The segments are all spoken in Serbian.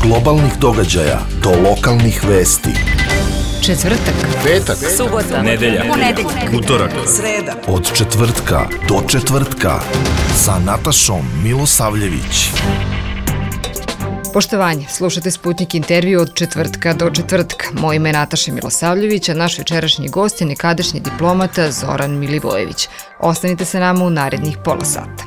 globalnih događaja do lokalnih vesti. Četvrtak, petak, subota, nedelja, utorak, sreda. Od četvrtka do četvrtka sa Natašom Milosavljević. Poštovanje, slušate Sputnik intervju od četvrtka do četvrtka. Moje ime je Nataša Milosavljević, a naš večerašnji gost je nekadašnji diplomata Zoran Milivojević. Ostanite sa nama u narednih pola sata.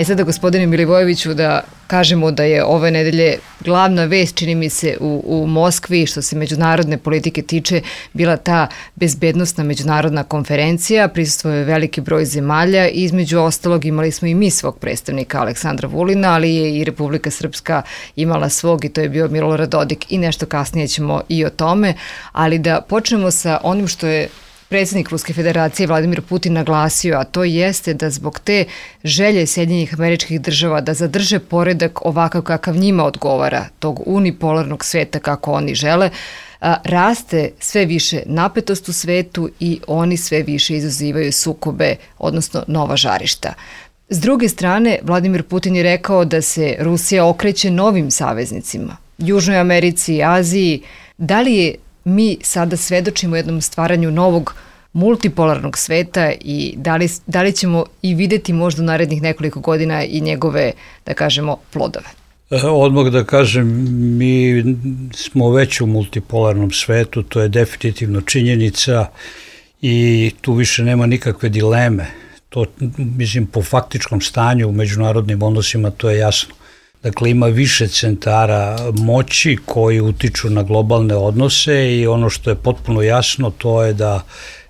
Sada, gospodine Milivojeviću, da kažemo da je ove nedelje glavna vest, čini mi se, u Moskvi, što se međunarodne politike tiče, bila ta bezbednosna međunarodna konferencija. Prisustvovao je veliki broj zemalja i između ostalog imali smo i mi svog predstavnika Aleksandra Vulina, ali je i Republika Srpska imala svog i to je bio Milorad Dodik i nešto kasnije ćemo i o tome. Ali da počnemo sa onim što je predsjednik Ruske federacije Vladimir Putin naglasio, a to jeste da zbog te želje Sjedinjenih Američkih Država da zadrže poredak ovakav kakav njima odgovara, tog unipolarnog sveta kako oni žele, raste sve više napetost u svetu i oni sve više izazivaju sukobe, odnosno nova žarišta. S druge strane, Vladimir Putin je rekao da se Rusija okreće novim saveznicima, Južnoj Americi, Aziji. Da li je mi sada svedočimo jednom stvaranju novog multipolarnog sveta i da li ćemo i videti možda u narednih nekoliko godina i njegove, da kažemo, plodove? Odmah da kažem, mi smo već u multipolarnom svetu, to je definitivno činjenica i tu više nema nikakve dileme. To, mislim, po faktičkom stanju u međunarodnim odnosima to je jasno. Dakle, ima više centara moći koji utiču na globalne odnose i ono što je potpuno jasno to je da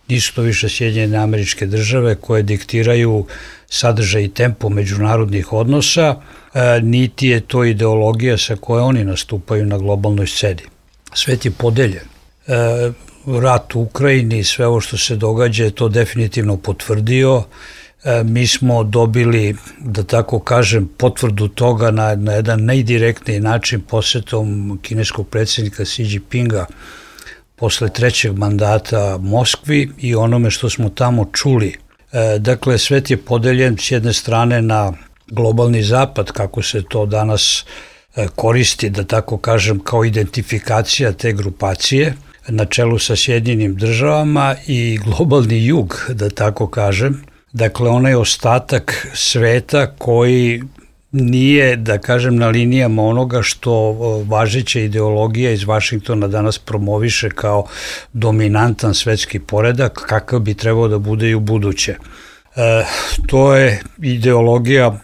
nisu to više Sjedinjene Američke Države koje diktiraju sadržaj i tempo međunarodnih odnosa, niti je to ideologija sa koje oni nastupaju na globalnoj sceni. Svet je podeljen. Rat u Ukrajini i sve ovo što se događa je to definitivno potvrdio. Mi smo dobili, da tako kažem, potvrdu toga na jedan najdirektniji način posetom kineskog predsjednika Xi Jinpinga posle trećeg mandata Moskvi i onome što smo tamo čuli. Dakle, svet je podeljen s jedne strane na globalni zapad, kako se to danas koristi, da tako kažem, kao identifikacija te grupacije, na čelu sa Sjedinjenim Državama, i globalni jug, da tako kažem. Dakle, onaj ostatak sveta koji nije, da kažem, na linijama onoga što važeća ideologija iz Vašingtona danas promoviše kao dominantan svetski poredak, kakav bi trebao da bude i u buduće. To je ideologija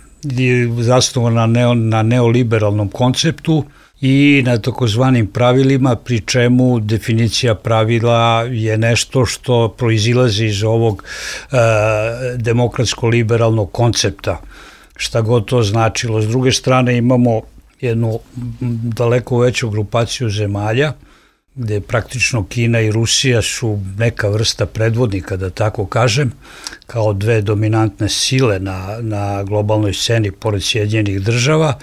zasnovana na neoliberalnom konceptu i na takozvanim pravilima, pri čemu definicija pravila je nešto što proizilazi iz ovog demokratsko-liberalnog koncepta, šta god to značilo. S druge strane imamo jednu daleko veću grupaciju zemalja, gde praktično Kina i Rusija su neka vrsta predvodnika, da tako kažem, kao dve dominantne sile na globalnoj sceni pored Sjedinjenih Država,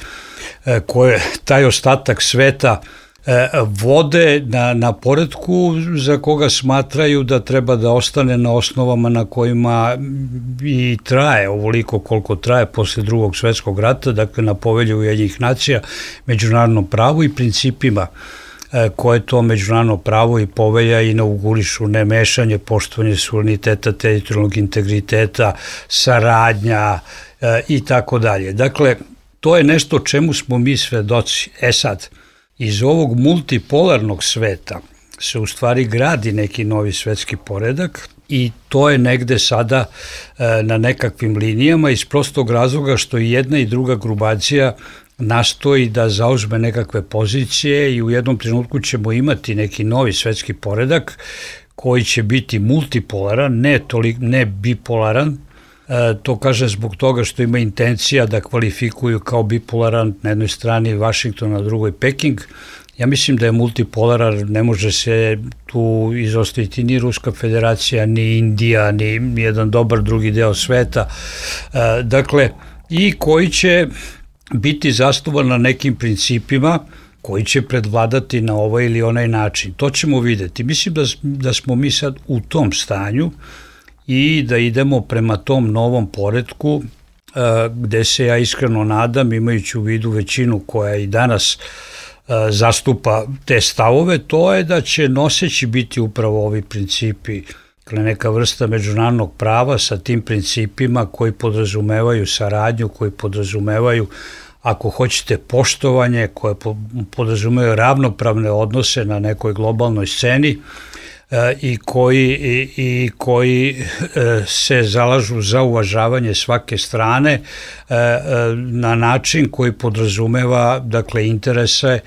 koje taj ostatak sveta vode na poretku za koga smatraju da treba da ostane na osnovama na kojima i traje ovoliko koliko traje posle Drugog svjetskog rata, dakle na Povelji Ujedinjenih nacija, međunarodnom pravu i principima koje to međunarodno pravo i povelja inaugurišu: nemešanje, poštovanje suvereniteta, teritorijalnog integriteta, saradnja i tako dalje. Dakle, to je nešto čemu smo mi svedoci. Sad, iz ovog multipolarnog sveta se u stvari gradi neki novi svetski poredak i to je negde sada na nekakvim linijama iz prostog razloga što i jedna i druga grupacija nastoji da zauzme nekakve pozicije i u jednom trenutku ćemo imati neki novi svetski poredak koji će biti multipolaran, ne bipolaran. To kaže zbog toga što ima intencija da kvalifikuju kao bipolaran na jednoj strani Vašington, na drugoj Peking. Ja mislim da je multipolaran, ne može se tu izostaviti ni Ruska federacija, ni Indija, ni jedan dobar drugi deo sveta. Dakle, i koji će biti zasnovan na nekim principima koji će predvladati na ovaj ili onaj način. To ćemo videti. Mislim da smo mi sad u tom stanju i da idemo prema tom novom poretku gde se ja iskreno nadam, imajući u vidu većinu koja i danas zastupa te stavove, to je da će noseći biti upravo ovi principi, neka vrsta međunarodnog prava sa tim principima koji podrazumevaju saradnju, koji podrazumevaju, ako hoćete, poštovanje, koje podrazumevaju ravnopravne odnose na nekoj globalnoj sceni i koji se zalažu za uvažavanje svake strane na način koji podrazumeva, dakle, interese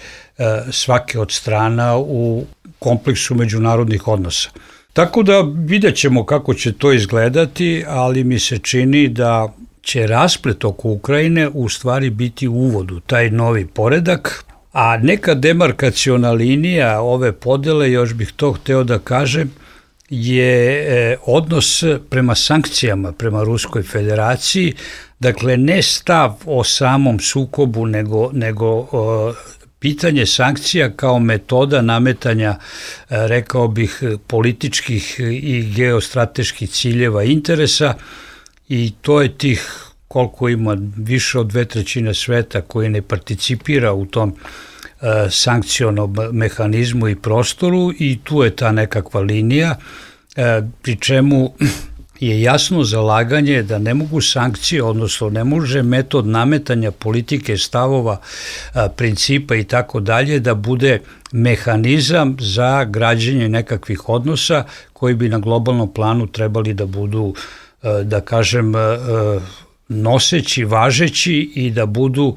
svake od strana u kompleksu međunarodnih odnosa. Tako da vidjet ćemo kako će to izgledati, ali mi se čini da će rasplet oko Ukrajine u stvari biti uvod u taj novi poredak, a neka demarkaciona linija ove podele, još bih to hteo da kažem, je odnos prema sankcijama, prema Ruskoj federaciji, dakle ne stav o samom sukobu, nego pitanje sankcija kao metoda nametanja, rekao bih, političkih i geostrateških ciljeva i interesa, i to je tih, koliko ima, više od 2/3 sveta koji ne participira u tom sankcionom mehanizmu i prostoru, i tu je ta nekakva linija, pri čemu je jasno zalaganje da ne mogu sankcije, odnosno ne može metod nametanja politike, stavova, principa i tako dalje da bude mehanizam za građenje nekakvih odnosa koji bi na globalnom planu trebali da budu, da kažem, noseći, važeći i da budu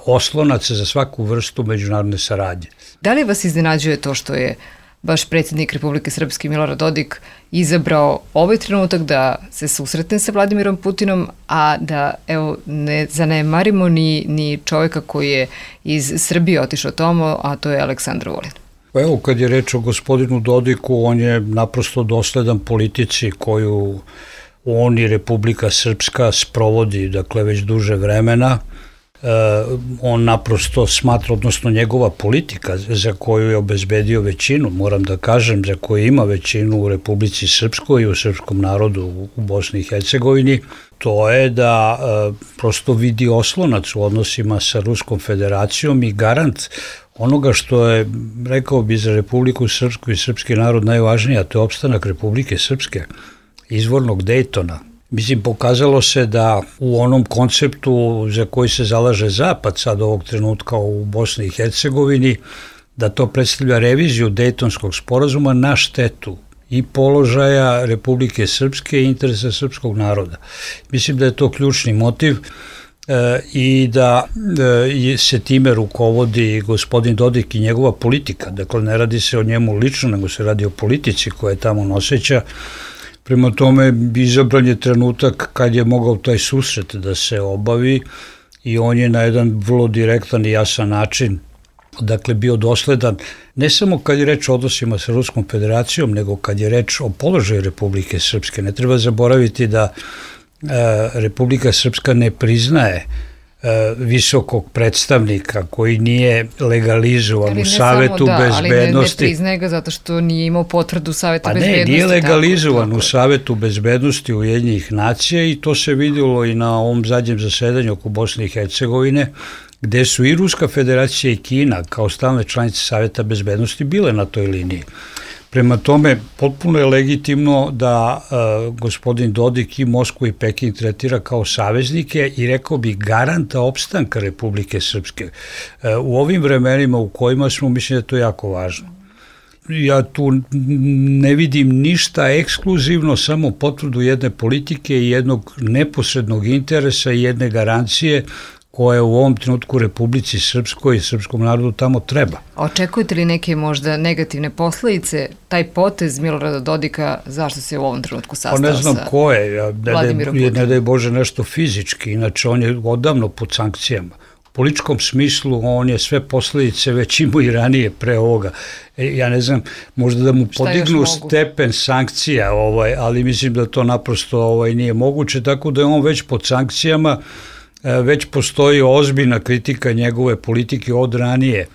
oslonac za svaku vrstu međunarodne saradnje. Da li vas iznenađuje to što je baš predsjednik Republike Srpske Milorad Dodik izabrao ovaj trenutak da se susretne sa Vladimirom Putinom, a da, evo, ne zanemarimo ni čovjeka koji je iz Srbije otišao tamo, a to je Aleksandar Vulin? Pa evo, kad je reč o gospodinu Dodiku, on je naprosto dosledan politici koju on i Republika Srpska sprovodi, dakle, već duže vremena. On naprosto smatra, odnosno njegova politika za koju je obezbedio većinu, moram da kažem, za koju ima većinu u Republici Srpskoj i u srpskom narodu u Bosni i Hercegovini, to je da prosto vidi oslonac u odnosima sa Ruskom federacijom i garant onoga što je, rekao bi, za Republiku Srpsku i srpski narod najvažnije, a to je opstanak Republike Srpske, izvornog Dejtona. Mislim, pokazalo se da u onom konceptu za koji se zalaže Zapad sad ovog trenutka u Bosni i Hercegovini, da to predstavlja reviziju Dejtonskog sporazuma na štetu i položaja Republike Srpske i interesa srpskog naroda. Mislim da je to ključni motiv i da se time rukovodi gospodin Dodik i njegova politika. Dakle, ne radi se o njemu lično, nego se radi o politici koja je tamo noseća. Prema tome, izabran je trenutak kad je mogao taj susret da se obavi i on je na jedan vrlo direktan i jasan način, dakle, bio dosledan, ne samo kad je reč o odnosima sa Ruskom federacijom, nego kad je reč o položaju Republike Srpske. Ne treba zaboraviti da Republika Srpska ne priznaje visokog predstavnika koji nije legalizovan u Savetu bezbednosti. Ali ne priznaje ga zato što nije imao potvrdu Saveta bezbednosti. Pa ne, nije legalizovan u Savetu bezbednosti Ujedinjenih nacija i to se vidjelo i na ovom zadnjem zasedanju oko Bosne i Hercegovine, gde su i Ruska federacija i Kina kao stalne članice Saveta bezbednosti bile na toj liniji. Prema tome, potpuno je legitimno da gospodin Dodik i Moskvu i Peking tretira kao saveznike i, rekao bi, garanta opstanka Republike Srpske. U ovim vremenima u kojima smo, mislim da je to jako važno. Ja tu ne vidim ništa ekskluzivno, samo potvrdu jedne politike i jednog neposrednog interesa i jedne garancije koje u ovom trenutku Republici Srpskoj i srpskom narodu tamo treba. Očekujete li neke možda negativne posledice, taj potez Milorada Dodika, zašto se u ovom trenutku sastao sa Vladimirom Putinom? Ne znam ko je, ne daj Bože nešto fizički, inače on je odavno pod sankcijama. U političkom smislu on je sve posledice već imao i ranije pre ovoga. Ja ne znam, možda da mu podignu stepen sankcija, ali mislim da to naprosto nije moguće, tako da je on već pod sankcijama. Već postoji ozbiljna kritika njegove politike od ranije,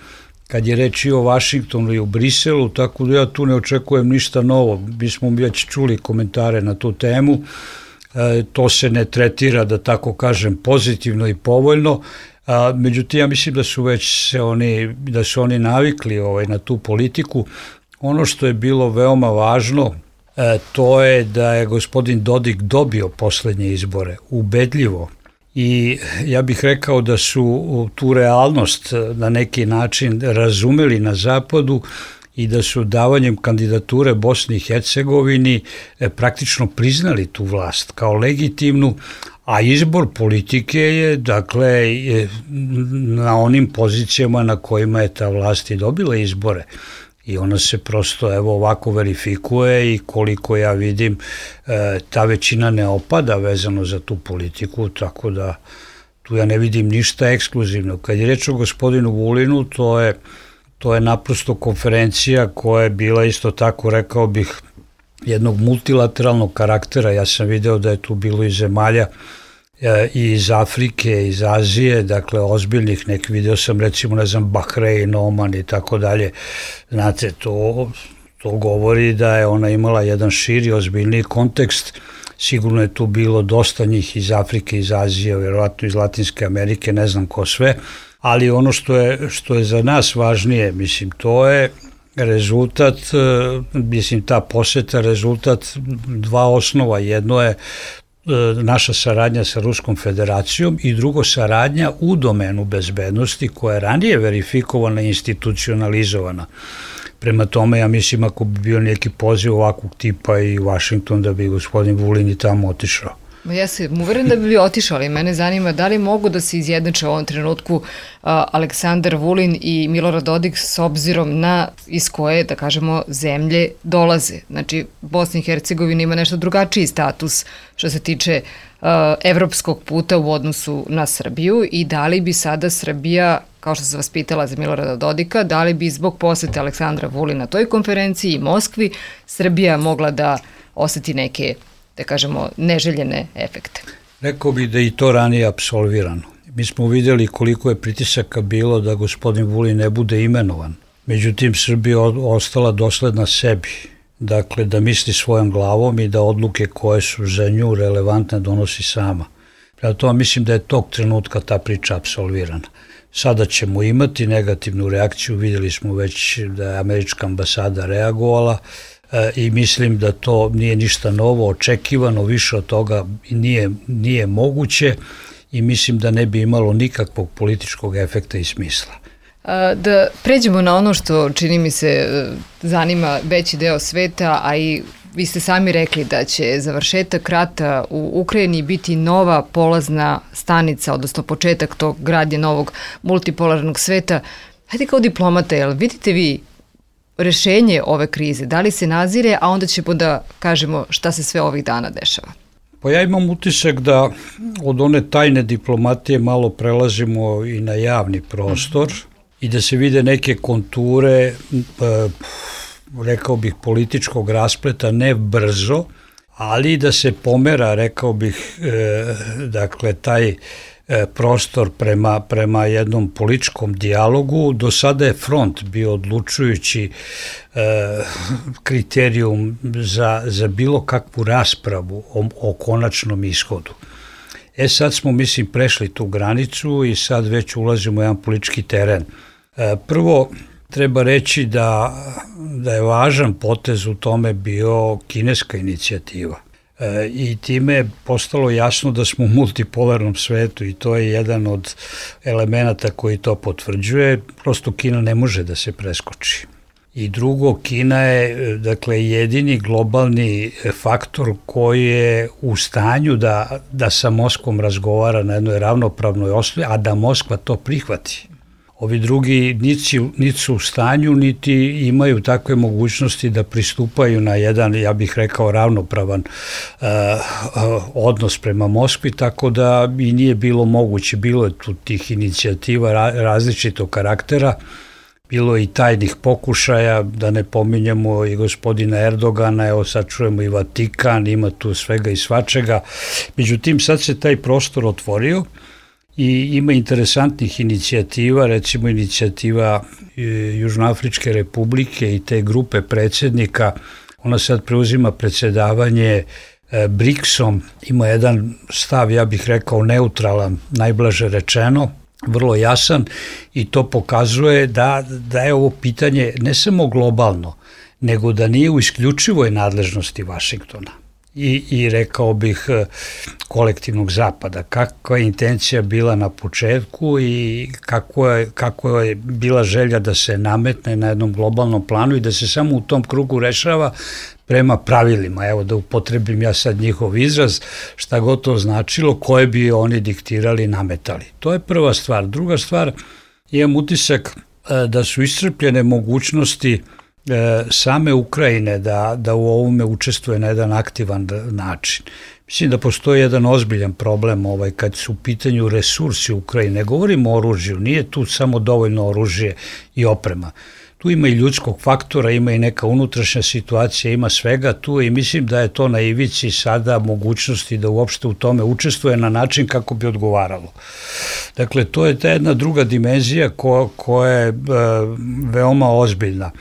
kad je reč i o Vašingtonu i u Briselu, tako da ja tu ne očekujem ništa novo. Mi smo već čuli komentare na tu temu, to se ne tretira, da tako kažem, pozitivno i povoljno. Međutim, ja mislim da su oni navikli na tu politiku. Ono što je bilo veoma važno, to je da je gospodin Dodik dobio poslednje izbore, ubedljivo. I ja bih rekao da su tu realnost na neki način razumeli na zapadu i da su davanjem kandidature Bosni i Hercegovini praktično priznali tu vlast kao legitimnu, a izbor politike je, dakle, na onim pozicijama na kojima je ta vlast i dobila izbore. I ona se prosto ovako verifikuje i koliko ja vidim ta većina ne opada vezano za tu politiku, tako da tu ja ne vidim ništa ekskluzivno. Kad je reč o gospodinu Vulinu, to je naprosto konferencija koja je bila isto tako, rekao bih, jednog multilateralnog karaktera. Ja sam video da je tu bilo i zemalja i iz Afrike, iz Azije, dakle ozbiljnih, video sam recimo, Bahrein, Oman i tako dalje. Znate, to govori da je ona imala jedan širi, ozbiljniji kontekst. Sigurno je tu bilo dosta njih iz Afrike, iz Azije, vjerovatno iz Latinske Amerike, ne znam ko sve, ali ono što je za nas važnije, mislim, to je rezultat, ta poseta rezultat dva osnova. Jedno je naša saradnja sa Ruskom federacijom i drugo saradnja u domenu bezbednosti koja je ranije verifikovana i institucionalizovana. Prema tome, ja mislim, ako bi bio neki poziv ovakvog tipa i u Washington, da bi gospodin Vulin i tamo otišao. Ja sam uveren da bi otišao, ali mene zanima da li mogu da se izjednače u ovom trenutku Aleksandar Vulin i Milorad Dodik s obzirom na iz koje, da kažemo, zemlje dolaze. Znači, Bosna i Hercegovina ima nešto drugačiji status što se tiče evropskog puta u odnosu na Srbiju i da li bi sada Srbija, kao što sam vas pitala za Milorada Dodika, da li bi zbog posete Aleksandra Vulina toj konferenciji i Moskvi Srbija mogla da oseti neke, da kažemo, neželjene efekte? Rekao bih da i to ranije apsolvirano. Mi smo vidjeli koliko je pritisaka bilo da gospodin Vulin ne bude imenovan. Međutim, Srbija ostala dosledna sebi. Dakle, da misli svojom glavom i da odluke koje su za nju relevantne donosi sama. Prema tome, mislim da je tog trenutka ta priča apsolvirana. Sada ćemo imati negativnu reakciju, vidjeli smo već da je američka ambasada reagovala, i mislim da to nije ništa novo, očekivano, više od toga nije moguće i mislim da ne bi imalo nikakvog političkog efekta i smisla. Da pređemo na ono što, čini mi se, zanima veći deo sveta, a i vi ste sami rekli da će završetak rata u Ukrajini biti nova polazna stanica, odnosno početak tog gradnje novog multipolarnog sveta. Hajde kao diplomata, jel vidite vi rešenje ove krize? Da li se nazire, a onda ćemo da kažemo šta se sve ovih dana dešava? Pa ja imam utisak da od one tajne diplomatije malo prelazimo i na javni prostor i da se vide neke konture, rekao bih, političkog raspleta, ne brzo, ali da se pomera, rekao bih, dakle, taj prostor prema jednom političkom dijalogu. Do sada je front bio odlučujući kriterijum za bilo kakvu raspravu o konačnom ishodu. Sad smo, mislim, prešli tu granicu i sad već ulazimo u jedan politički teren. Prvo, treba reći da je važan potez u tome bio kineska inicijativa. I time je postalo jasno da smo u multipolarnom svetu i to je jedan od elemenata koji to potvrđuje. Prosto Kina ne može da se preskoči. I drugo, Kina je, dakle, jedini globalni faktor koji je u stanju da sa Moskvom razgovara na jednoj ravnopravnoj osnovi, a da Moskva to prihvati. Ovi drugi niti su u stanju, niti imaju takve mogućnosti da pristupaju na jedan, ja bih rekao, ravnopravan odnos prema Moskvi, tako da i nije bilo moguće. Bilo je tu tih inicijativa različitog karaktera, bilo je i tajnih pokušaja, da ne pominjemo i gospodina Erdogana, evo sad čujemo i Vatikan, ima tu svega i svačega. Međutim, sad se taj prostor otvorio i ima interesantnih inicijativa, recimo inicijativa Južnoafričke republike i te grupe predsjednika. Ona sad preuzima predsjedavanje BRICS-om ima jedan stav, ja bih rekao neutralan, najblaže rečeno, vrlo jasan, i to pokazuje da je ovo pitanje ne samo globalno, nego da nije u isključivoj nadležnosti Vašingtona i rekao bih kolektivnog zapada. Kakva je intencija bila na početku i kako je bila želja da se nametne na jednom globalnom planu i da se samo u tom krugu rešava prema pravilima, evo da upotrebim ja sad njihov izraz, šta god to značilo, koje bi oni diktirali, nametali. To je prva stvar. Druga stvar, imam utisak da su iscrpljene mogućnosti same Ukrajine da u ovome učestvuje na jedan aktivan način. Mislim da postoji jedan ozbiljan problem kad su u pitanju resursi Ukrajine. Ne govorimo o oružju, nije tu samo dovoljno oružje i oprema. Tu ima i ljudskog faktora, ima i neka unutrašnja situacija, ima svega tu i mislim da je to na ivici sada mogućnosti da uopšte u tome učestvuje na način kako bi odgovaralo. Dakle, to je ta jedna druga dimenzija koja je veoma ozbiljna.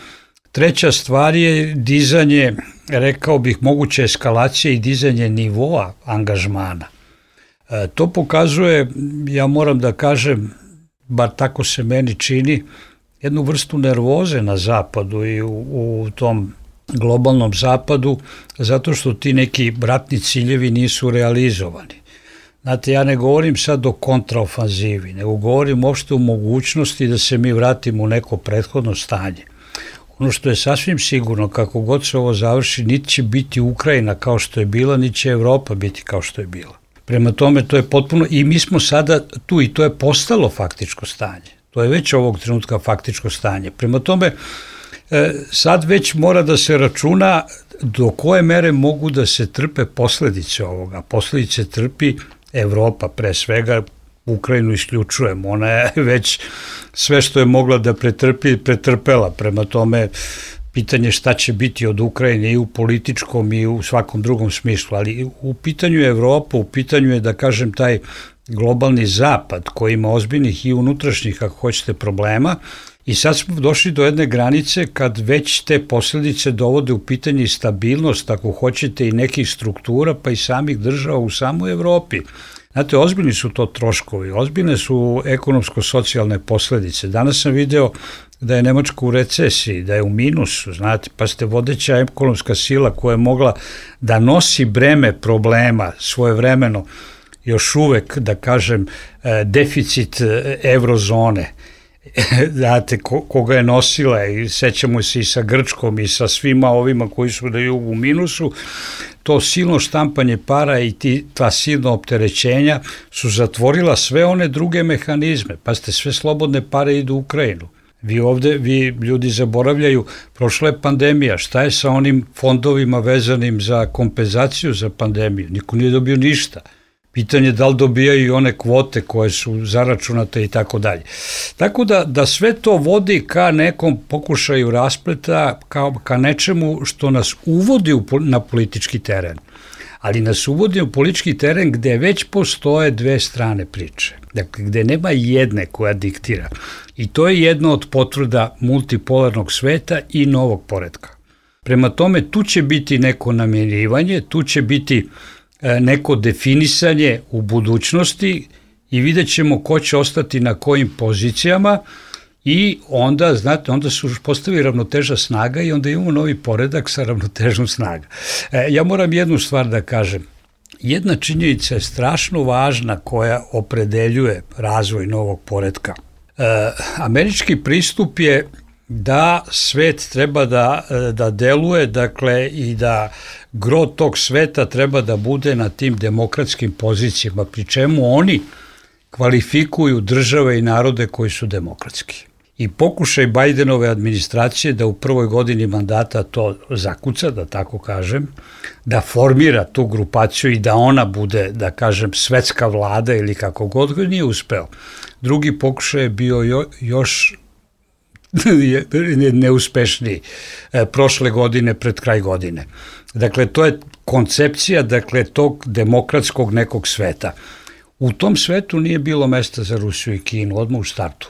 Treća stvar je dizanje, rekao bih, moguće eskalacije i dizanje nivoa angažmana. To pokazuje, ja moram da kažem, bar tako se meni čini, jednu vrstu nervoze na zapadu i u tom globalnom zapadu, zato što ti neki ratni ciljevi nisu realizovani. Znate, ja ne govorim sad o kontraofanzivi, nego govorim uopšte o mogućnosti da se mi vratimo u neko prethodno stanje. Ono što je sasvim sigurno, kako god se ovo završi, niti će biti Ukrajina kao što je bila, niti će Evropa biti kao što je bila. Prema tome, to je potpuno, i mi smo sada tu i to je postalo faktičko stanje. To je već ovog trenutka faktičko stanje. Prema tome, sad već mora da se računa do koje mere mogu da se trpe posledice ovoga. Posledice trpi Evropa, pre svega Ukrajinu isključujemo. Ona je već sve što je mogla da pretrpela. Prema tome, pitanje šta će biti od Ukrajine i u političkom i u svakom drugom smislu. Ali u pitanju Evropa, u pitanju je, da kažem, taj globalni zapad koji ima ozbiljnih i unutrašnjih, ako hoćete, problema, i sad smo došli do jedne granice kad već te posljedice dovode u pitanje i stabilnost, ako hoćete, i nekih struktura, pa i samih država u samoj Evropi. Znate, ozbiljni su to troškovi, ozbiljne su ekonomsko-socijalne posljedice. Danas sam video da je Nemačka u recesiji, da je u minusu, znate, pa ste vodeća ekonomska sila koja je mogla da nosi breme problema svojevremeno, još uvek, da kažem, deficit eurozone, znate, koga je nosila, i sećamo se i sa Grčkom i sa svima ovima koji su na jugu u minusu, to silno štampanje para i ta silna opterećenja su zatvorila sve one druge mehanizme. Pa ste, sve slobodne pare idu u Ukrajinu. Vi ljudi zaboravljaju, prošla je pandemija, šta je sa onim fondovima vezanim za kompenzaciju za pandemiju? Niko nije dobio ništa. Pitanje je da li dobijaju i one kvote koje su zaračunate i tako dalje. Tako da sve to vodi ka nekom pokušaju raspleta, ka nečemu što nas uvodi na politički teren. Ali nas uvodi u politički teren gde već postoje dve strane priče. Dakle, gde nema jedne koja diktira. I to je jedna od potvrda multipolarnog sveta i novog poretka. Prema tome, tu će biti neko namirivanje, tu će biti neko definisanje u budućnosti i vidjet ćemo ko će ostati na kojim pozicijama i onda, znate, onda su postavi ravnoteža snaga i onda imamo novi poredak sa ravnotežom snaga. Ja moram jednu stvar da kažem. Jedna činjenica je strašno važna koja opredeljuje razvoj novog poretka. Američki pristup je da svet treba da deluje, dakle, i da gro tog sveta treba da bude na tim demokratskim pozicijama, pri čemu oni kvalifikuju države i narode koji su demokratski. I pokušaj Bajdenove administracije da u prvoj godini mandata to zakuca, da tako kažem, da formira tu grupaciju i da ona bude, da kažem, svetska vlada ili kako god, ga nije uspeo. Drugi pokušaj je bio još neuspešniji prošle godine, pred kraj godine. Dakle, to je koncepcija, dakle, tog demokratskog nekog sveta. U tom svetu nije bilo mesta za Rusiju i Kinu, odmah u startu.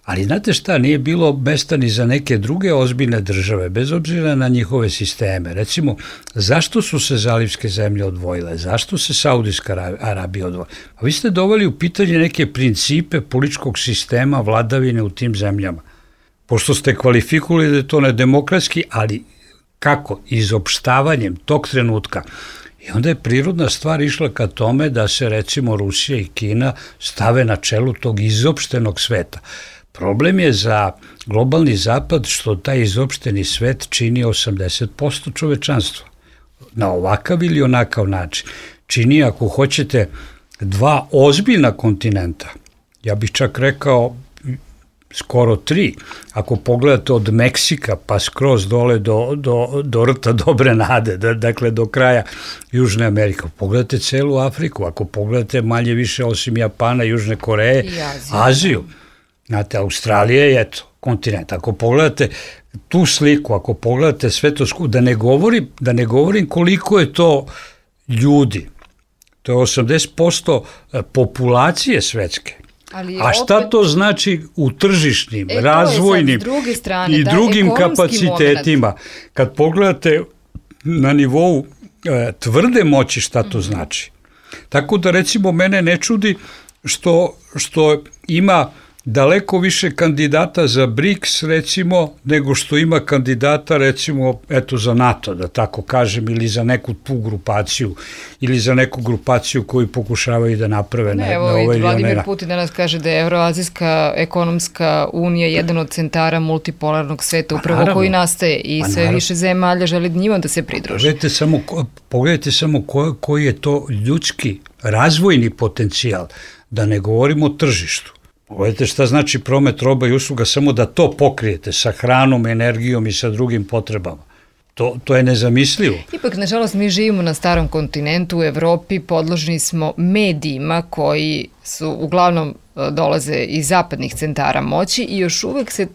Ali znate šta, nije bilo mesta ni za neke druge ozbiljne države, bez obzira na njihove sisteme. Recimo, zašto su se zalivske zemlje odvojile? Zašto se Saudijska Arabija odvojila? Pa vi ste doveli u pitanje neke principe političkog sistema vladavine u tim zemljama. Pošto ste kvalifikovali da je to nedemokratski, ali kako? Izopštavanjem tog trenutka. I onda je prirodna stvar išla ka tome da se recimo Rusija i Kina stave na čelu tog izopštenog sveta. Problem je za globalni zapad što taj izopšteni svet čini 80% čovečanstva. Na ovakav ili onakav način. Čini, ako hoćete, 2 ozbiljna kontinenta. Ja bih čak rekao skoro 3. Ako pogledate od Meksika pa skroz dole do rta Dobre nade, dakle do kraja Južne Amerike. Pogledate celu Afriku, ako pogledate manje više osim Japana, Južne Koreje, Aziju. Znate, Australija je kontinent. Ako pogledate tu sliku, ako pogledate sve to skupo, da ne govorim koliko je to ljudi. To je 80% populacije svetske. A šta to znači u tržišnim, razvojnim i drugim kapacitetima? Kad pogledate na nivou tvrde moći šta to znači. Tako da recimo mene ne čudi što ima daleko više kandidata za BRICS recimo nego što ima kandidata recimo za NATO, da tako kažem, ili za neku tu grupaciju ili za neku grupaciju koju pokušavaju da naprave na ovaj ili Vladimir Putin danas kaže da je Evroazijska ekonomska unija jedan od centara multipolarnog sveta upravo koji nastaje i sve više zemalja želi njima da se pridruže. Pogledajte samo koji je to ljudski razvojni potencijal, da ne govorimo o tržištu. Pogledajte šta znači promet roba i usluga, samo da to pokrijete sa hranom, energijom i sa drugim potrebama. To je nezamislivo. Ipak, nažalost, mi živimo na starom kontinentu, u Evropi, podložni smo medijima koji su uglavnom dolaze iz zapadnih centara moći i još uvek se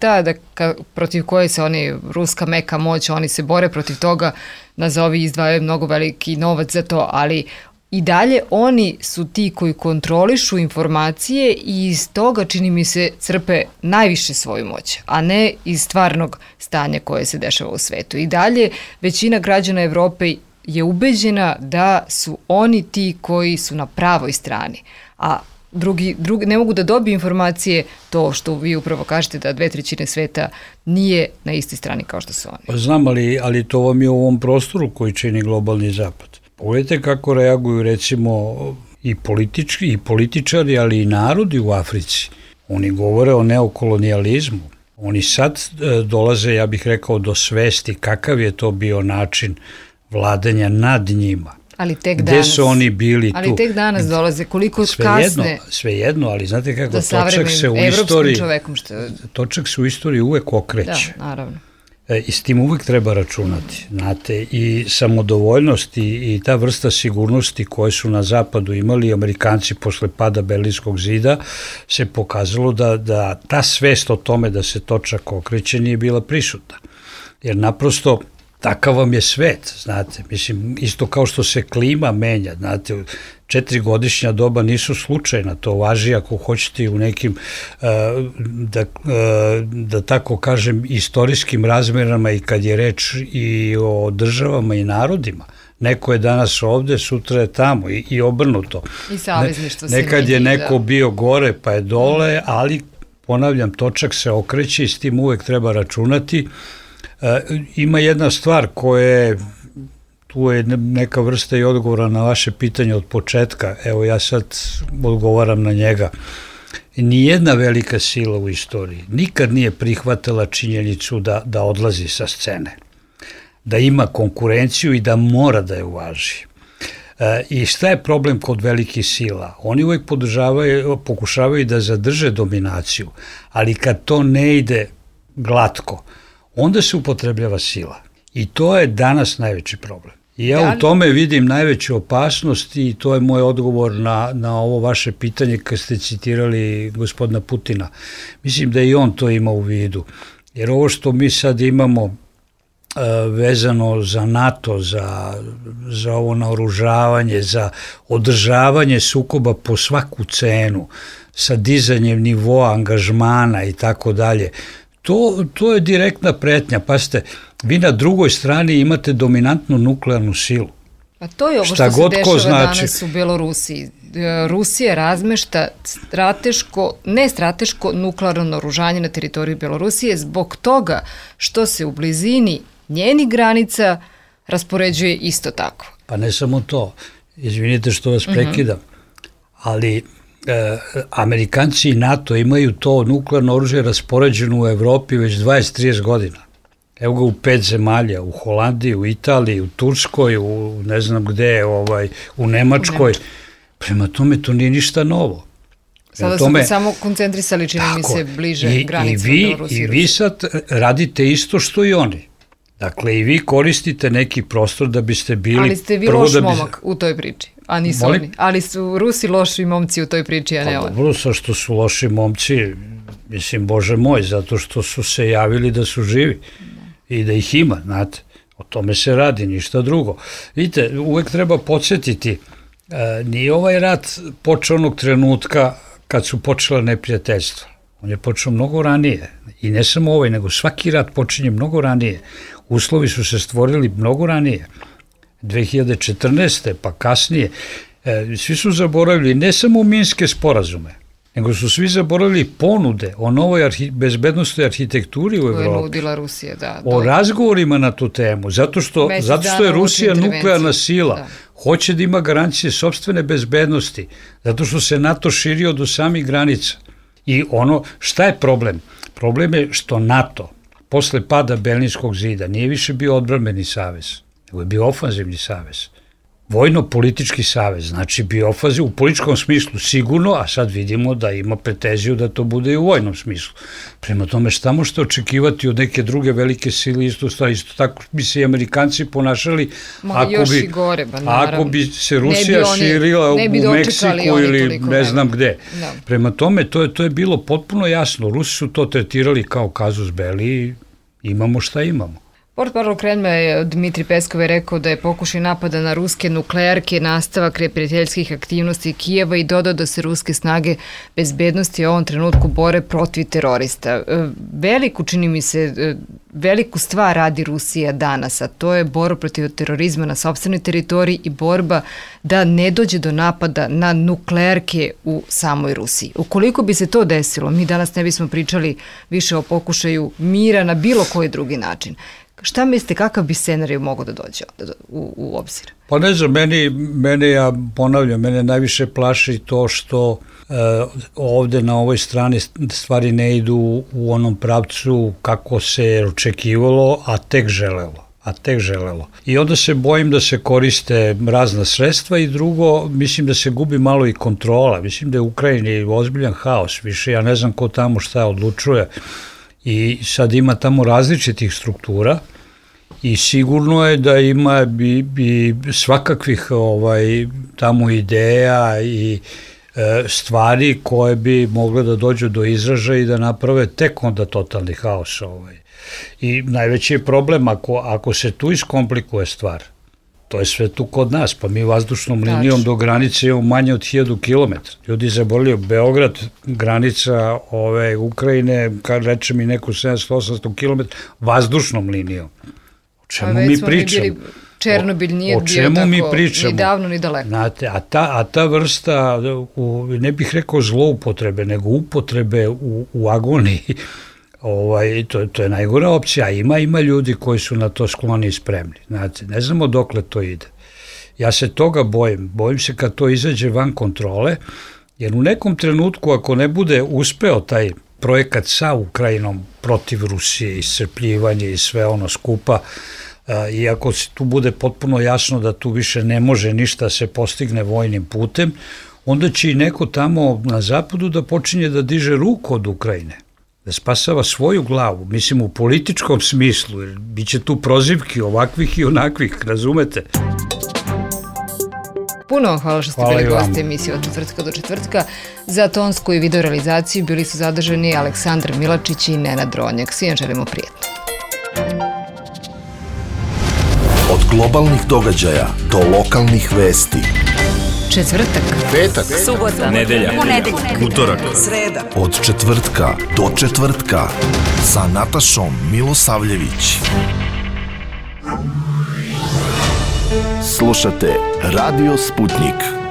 protiv koje se ruska meka moć, oni se bore protiv toga, nazovi izdvajaju mnogo veliki novac za to, ali i dalje oni su ti koji kontrolišu informacije i iz toga, čini mi se, crpe najviše svoju moć, a ne iz stvarnog stanja koje se dešava u svetu. I dalje većina građana Evrope je ubeđena da su oni ti koji su na pravoj strani, a drugi ne mogu da dobiju informacije, to što vi upravo kažete da 2/3 sveta nije na istoj strani kao što su oni. Znam, ali to vam je u ovom prostoru koji čini globalni zapad. Pogledajte kako reaguju recimo i političari, ali i narodi u Africi. Oni govore o neokolonijalizmu. Oni sad dolaze, ja bih rekao, do svesti kakav je to bio način vladanja nad njima. Ali tek danas. Gde su oni bili tu? Ali tek danas dolaze, koliko kasne. Svejedno, ali znate kako, točak se u istoriji uvek okreće. Da, naravno. I s tim uvijek treba računati, znate, i samodovoljnost i ta vrsta sigurnosti koje su na zapadu imali Amerikanci posle pada Berlinskog zida se pokazalo da ta svest o tome da se točak okreće nije bila prisutna. Jer naprosto takav vam je svet, znate, mislim, isto kao što se klima menja, znate, 4-godišnja doba nisu slučajna, to važi ako hoćete u nekim, da tako kažem, istorijskim razmerama i kad je reč i o državama i narodima. Neko je danas ovde, sutra je tamo i obrnuto. I savezništvo se nekad je neko bio gore pa je dole, ali ponavljam, točak se okreće i s tim uvek treba računati. Ima jedna stvar koja tu je neka vrsta i odgovora na vaše pitanje od početka, evo ja sad odgovaram na njega. Nijedna velika sila u istoriji nikad nije prihvatila činjenicu da odlazi sa scene, da ima konkurenciju i da mora da je uvaži. I šta je problem kod velikih sila? Oni uvek pokušavaju da zadrže dominaciju, ali kad to ne ide glatko, onda se upotrebljava sila. I to je danas najveći problem. I ja u tome vidim najveću opasnost i to je moj odgovor na ovo vaše pitanje kad ste citirali gospodina Putina. Mislim da i on to ima u vidu. Jer ovo što mi sad imamo vezano za NATO, za ovo naoružavanje, za održavanje sukoba po svaku cenu, sa dizanjem nivoa angažmana i tako dalje. To je direktna pretnja. Pazite, vi na drugoj strani imate dominantnu nuklearnu silu. A to je ovo što se dešava danas u Belorusiji. Rusija razmešta nestrateško nuklearno naoružanje na teritoriji Belorusije zbog toga što se u blizini njenih granica raspoređuje isto tako. Pa ne samo to. Izvinite što vas prekidam. Ali Amerikanci i NATO imaju to nuklearno oružje raspoređeno u Evropi već 20-30 godina. Evo ga u 5 zemalja, u Holandiji, u Italiji, u Turskoj, u ne znam gde, u Nemačkoj. Prema tome to nije ništa novo. Sada su se samo koncentrisali, čini mi se, bliže granicama Belorusije. I vi sad radite isto što i oni. Dakle, i vi koristite neki prostor da biste bili... Ali ste vi loš momak u toj priči, a nisu oni. Ali su Rusi loši momci u toj priči, a ne oni. Dobro, sa što su loši momci, mislim, Bože moj, zato što su se javili da su živi i da ih ima, znate. O tome se radi, ništa drugo. Vidite, uvek treba podsjetiti, nije ovaj rat počeo onog trenutka kad su počela neprijateljstva. On je počeo mnogo ranije. I ne samo ovaj, nego svaki rat počinje mnogo ranije. Uslovi su se stvorili mnogo ranije. 2014. pa kasnije. Svi su zaboravili ne samo minske sporazume, nego su svi zaboravili ponude o novoj bezbednostnoj arhitekturi u Evropi. Koje je nudila Rusija, da. O razgovorima na tu temu, zato što je Rusija nuklearna sila, hoće da ima garancije sopstvene bezbednosti, zato što se NATO širio do samih granica. I šta je problem? Problem je što NATO, posle pada Berlinskog zida, nije više bio odbrambeni savez, nego je bio ofanzivni savez. Vojno-politički savez, znači bio ofanziv u političkom smislu sigurno, a sad vidimo da ima pretenziju da to bude i u vojnom smislu. Prema tome, šta možete očekivati od neke druge velike sile, isto tako bi se i Amerikanci ponašali ako bi se Rusija širila u Meksiku ili ne znam gde. Prema tome, to je bilo potpuno jasno. Rusi su to tretirali kao kazus belli i imamo šta imamo. Portparol Kremlja Dmitrij Peskov je rekao da je pokušaj napada na ruske nuklearke nastavak neprijateljskih aktivnosti Kijeva i dodao da se ruske snage bezbednosti u ovom trenutku bore protiv terorista. Čini mi se, veliku stvar radi Rusija danas, a to je borba protiv terorizma na sopstvenoj teritoriji i borba da ne dođe do napada na nuklearke u samoj Rusiji. Ukoliko bi se to desilo, mi danas ne bismo pričali više o pokušaju mira na bilo koji drugi način. Šta mislite, kakav bi scenarij mogao da dođe u obzir? Pa ne znam, ja ponavljam, mene najviše plaši to što ovde na ovoj strani stvari ne idu u onom pravcu kako se očekivalo, a tek želelo. I onda se bojim da se koriste razna sredstva i drugo, mislim da se gubi malo i kontrola. Mislim da je u Ukrajini ozbiljan haos, više ja ne znam ko tamo šta odlučuje. I sad ima tamo različitih struktura i sigurno je da ima bi svakakvih tamo ideja i stvari koje bi mogle da dođu do izražaja i da naprave tek onda totalni haos. I najveći je problem ako se tu iskomplikuje stvar. To je sve tu kod nas, pa mi vazdušnom linijom do granice imamo manje od 1000 km. Ljudi zaboravljaju, Beograd, granica Ukrajine, kad reče mi neku 700-800 km, vazdušnom linijom. O čemu mi pričamo? Černobil nije bio tako ni davno ni daleko. Znate, a ta vrsta, ne bih rekao zloupotrebe, nego upotrebe u agoniji, to je najgora opcija. Ima ljudi koji su na to skloni i spremni. Znate, ne znamo dokle to ide. Ja se toga bojim se kad to izađe van kontrole, jer u nekom trenutku ako ne bude uspeo taj projekat sa Ukrajinom protiv Rusije, iscrpljivanje i sve ono skupa, i ako se tu bude potpuno jasno da tu više ne može ništa se postigne vojnim putem, onda će i neko tamo na zapadu da počinje da diže ruku od Ukrajine, da spasava svoju glavu, mislim u političkom smislu, jer bit će tu prozivki ovakvih i onakvih, razumete? Puno vam hvala što ste bili gosti emisije od četvrtka do četvrtka. Za tonsku i video realizaciju bili su zadržani Aleksandar Milačić i Nenad Ronjak. Svima želimo prijetno. Od globalnih događaja do lokalnih vesti. Četvrtak, petak, subota, nedelja, ponedeljak, utorak, sreda. od četvrtka do četvrtka sa Natašom Milosavljević. Slušate Radio Sputnik.